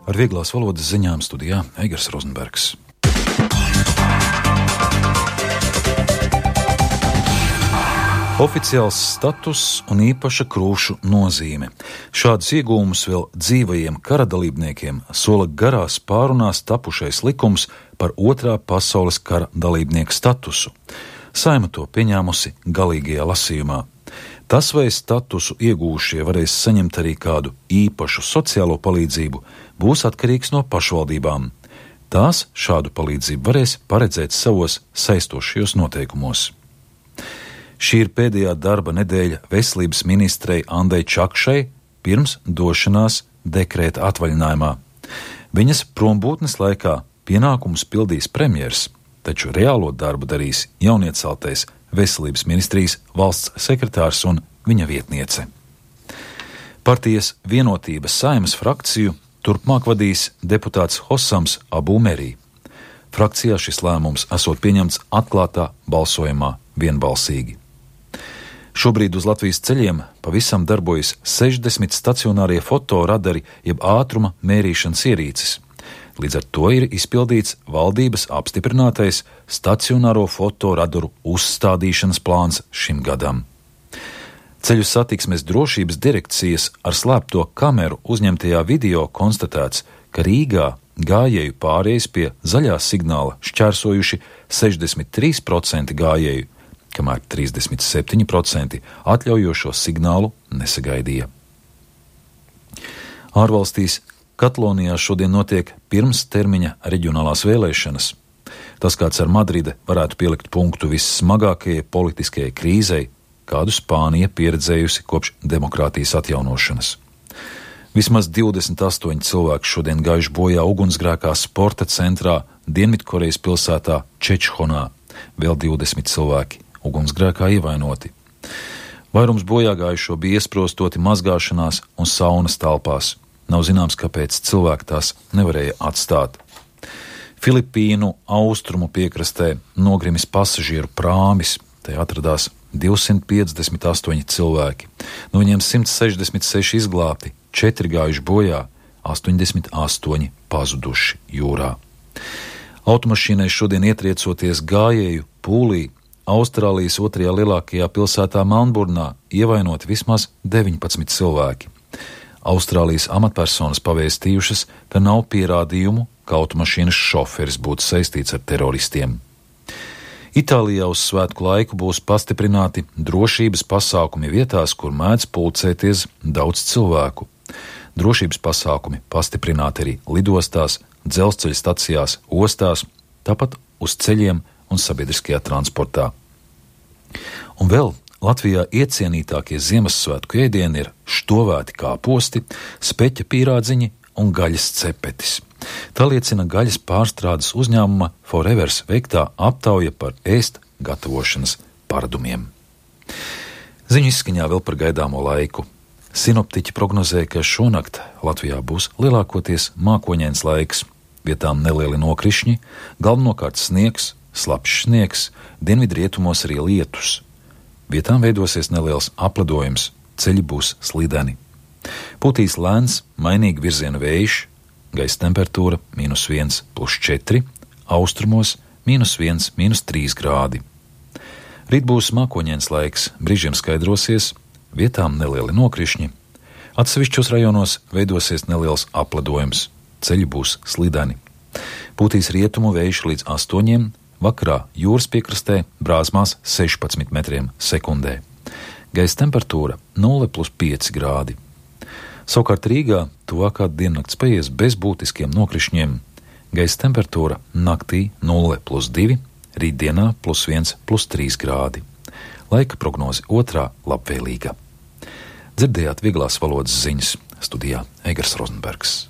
Ar vieglās valodas ziņām studijā Eigars Rozenbergs. Oficiāls status un īpaša krūšu nozīme. Šādus iegūmus vēl dzīvajiem kara dalībniekiem sola garās pārunās tapušais likums par Otrā pasaules kara dalībnieku statusu. Saeima to pieņēmusi galīgajā lasījumā. Tas, vai statusu iegūšie varēs saņemt arī kādu īpašu sociālo palīdzību, būs atkarīgs no pašvaldībām. Tās šādu palīdzību varēs paredzēt savos saistošajos noteikumos. Šī ir pēdējā darba nedēļa veselības ministrei Andai Čakšai pirms došanās dekrēta atvaļinājumā. Viņas prombūtnes laikā pienākumus pildīs premjers, taču reālo darbu darīs jaunieceltais veselības ministrijas valsts sekretārs un viņa vietniece. Partijas Vienotības Saeimas frakciju turpmāk vadīs deputāts Hosams Abu Merī. Frakcijā šis lēmums esot pieņemts atklātā balsojumā vienbalsīgi. Šobrīd uz Latvijas ceļiem pavisam darbojas 60 stacionārie fotoradari jeb ātruma mērīšanas ierīces. Līdz ar to ir izpildīts valdības apstiprinātais stacionāro fotoradaru uzstādīšanas plāns šim gadam. Ceļu satiksmes drošības direkcijas ar slēpto kameru uzņemtajā video konstatēts, ka Rīgā gājēju pārējas pie zaļā signāla šķērsojuši 63% gājēju, kamēr 37% atļaujošo signālu nesagaidīja. Ārvalstīs Katalonijā šodien notiek pirmstermiņa reģionālās vēlēšanas. Tas, kāds ar Madride varētu pielikt punktu vissmagākajai politiskajai krīzei, kādu Spānija pieredzējusi kopš demokrātijas atjaunošanas. Vismaz 28 cilvēki šodien gājuši bojā ugunsgrēkā sporta centrā Dienvidkorejas pilsētā Čečhonā, vēl 20 cilvēki ugunsgrēkā ievainoti. Vairums bojāgājušo bija iesprostoti mazgāšanās un saunas telpās. Nav zināms, kāpēc cilvēki tās nevarēja atstāt. Filipīnu austrumu piekrastē nogrimis pasažieru prāmis. Te atradās 258 cilvēki. No viņiem 166 izglābti, 4 gājuši bojā, 88 pazuduši jūrā. Automašīnai šodien ietriecoties gājēju pūlī Austrālijas otrajā lielākajā pilsētā Melnburnā ievainoti vismaz 19 cilvēki. Austrālijas amatpersonas pavēstījušas, ka nav pierādījumu, ka automašīnas šoferis būtu saistīts ar teroristiem. Itālijā uz svētku laiku būs pastiprināti drošības pasākumi vietās, kur mēdz pulcēties daudz cilvēku. Drošības pasākumi pastiprināti arī lidostās, dzelzceļa stacijās, ostās, tāpat uz ceļiem un sabiedriskajā transportā. Un vēl Latvijā iecienītākie Ziemassvētku ēdieni ir štovēti kāposti, speķa pīrādziņi un gaļas cepetis. Tā liecina gaļas pārstrādes uzņēmuma Forevers veiktā aptauja par ēst gatavošanas paradumiem. Ziņu izskaņā vēl par gaidāmo laiku. Sinoptiķi prognozē, ka šonakt Latvijā būs lielākoties mākoņains laiks, vietām nelieli nokrišņi, galvenokārt sniegs, slapjš sniegs, dienvidrietumos arī lietus. Vietām veidosies neliels apledojums, ceļi būs slideni. Pūtīs lēns, mainīgi virziena vējš, gaisa temperatūra -1, +4, austrumos -1, -3 grādi. Rīt būs mākoņains laiks, brīžiem skaidrosies, vietām nelieli nokrišņi. Atsevišķos rajonos veidosies neliels apledojums, ceļi būs slideni. Pūtīs rietumu vējš līdz 8, vakarā jūras piekrastē brāzmās 16 metriem sekundē. Gaisa temperatūra 0,5 grādi. Savukārt Rīgā tuvākā diennakts paies bez būtiskiem nokrišņiem. Gaisa temperatūra naktī 0,2, rītdienā +1, +3 grādi. Laika prognoze otrā labvēlīga. Dzirdējāt vieglās valodas ziņas, studijā Eigars Rozenbergs.